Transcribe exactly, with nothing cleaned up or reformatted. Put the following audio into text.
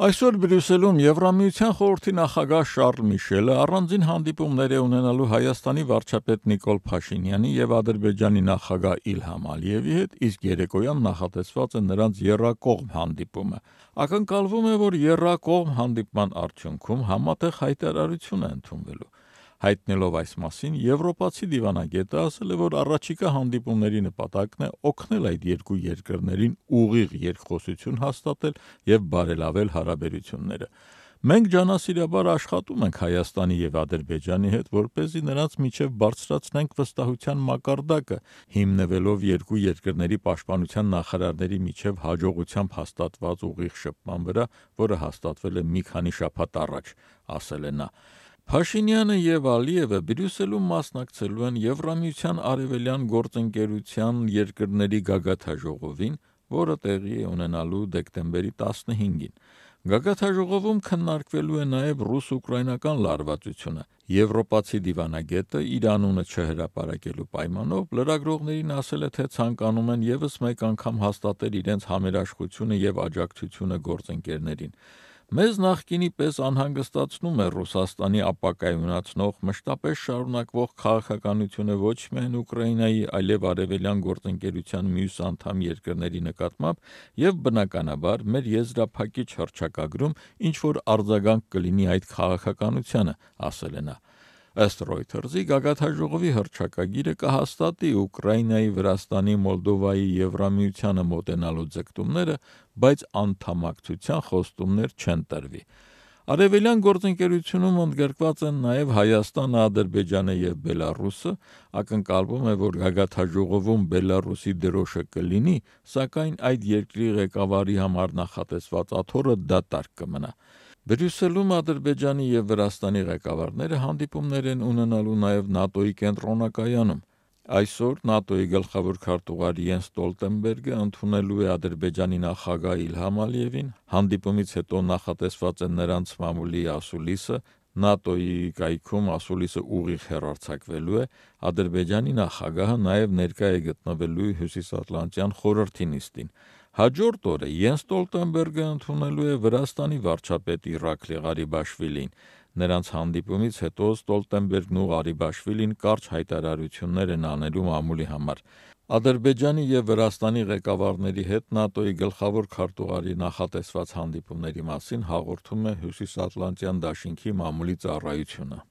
Այսօր Բրյուսելում Եվրամիության խորհրդի նախագահ Շարլ Միշելը առանձին հանդիպումներ է ունենալու Հայաստանի վարչապետ Նիկոլ Փաշինյանի և Ադրբեջանի նախագահ Իլհամ Ալիևի հետ, իսկ երեկոյան նախատեսված է նրանց եռակողմ հանդիպումը։ Ակնկալվում է, որ եռակողմ հանդիպման արդյունքում համատեղ հայտարարություն է ընդունվելու։ Հայտնելով այս մասին, եվրոպացի դիվանագետը ասել է, որ առաջիկա հանդիպումների նպատակն է օգնել այդ երկու երկրներին ուղիղ երկխոսություն հաստատել և բարելավել հարաբերությունները։ Մենք ջանասիրաբար աշխատում ենք Հայաստանի և Ադրբեջանի հետ, որպեսզի նրանց միջև բարձրացնենք վստահության մակարդակը, հիմնվելով երկու երկրների պաշտպանության նախարարների միջև հաջողությամբ հաստատված ուղիղ շփման վրա, որը հաստատվել է մի քանի շաբաթ առաջ, ասել է նա։ Փաշինյանը և Ալիևը Բրյուսելում մասնակցելու են Եվրամիության արևելյան գործընկերության երկրների գագաթնաժողովին, որը տեղի է ունենալու դեկտեմբերի տասնհինգին։ Գագաթնաժողովում քննարկվելու է նաև ռուս-ուկրաինական լարվածությունը։ Եվրոպացի դիվանագետը իր անունը չհրապարակելու պայմանով լրագրողներին ասել է, թե ցանկանում են ևս մեկ անգամ հաստատել իրենց համերաշխությունը և աջակցությունը գործընկերներին։ Մեզ նախկինի պես անհանգստացնում է Ռուսաստանի ապակայունացնող, մշտապես շարունակվող քաղաքականությունը ոչ միայն Ուկրաինայի, այլև արևելյան գործընկերության մյուս անդամ երկրների նկատմամբ և բնականաբար մեր եզրափակիչ հռչակագրում ինչ-որ արձագանք կլինի այդ քաղաքականությանը, ասել է նա։ Ըստ Reuters-ի գագաթնաժողովի հռչակագիրը կհաստատի Ուկրաինայի, Վրաստանի, Մոլդովայի Եվրամիությանը մոտենալու ձգտումները, բայց անդամակցության խոստումներ չեն տրվի։ Արևելյան գործընկերությունում ընդգրկված են նաև Հայաստանը, Ադրբեջանը և Բելառուսը, ակնկալվում է, որ գագաթնաժողովում Բելառուսի դրոշը կլինի, սակայն այդ երկրի ղեկավարի համար նախատեսված աթոռը դատարկ կմնա։ Բրյուսելում Ադրբեջանի և Վրաստանի ղեկավարները հանդիպումներ են ունենալու նաև ՆԱՏՕ-ի կենտրոնակայանում։ Այսօր ՆԱՏՕ-ի գլխավոր քարտուղար Յենս Ստոլտենբերգը ընդունելու է Ադրբեջանի նախագահ Իլհամ Ալիևին, հանդիպումից հետո նախատեսված է նրանց մամուլի ասուլիսը, ՆԱՏՕ-ի կայքում ասուլիսը ուղիղ հեռարձակվելու է, Ադրբեջանի նախագահը նաև ներկա է գտնվելու Հյուսիսատլանտյան խորհրդի նիստին։ Հաջորդ օրը Յենս Ստոլտենբերգը ընդունելու է Վրաստանի վարչապետ Իռակլի Ղարիբաշվիլիին։ Նրանց հանդիպումից հետո Ստոլտենբերգն ու Ղարիբաշվիլին կարճ հայտարարություններ են անելու մամուլի համար։ Ադրբեջանի և Վրաստանի ղեկավարների հետ ՆԱՏՕ-ի գլխավոր քարտուղարի նախատեսված հանդիպումների մասին հաղորդում է Հյուսիսատլանտյան դաշինքի մամուլի ծառայությունը։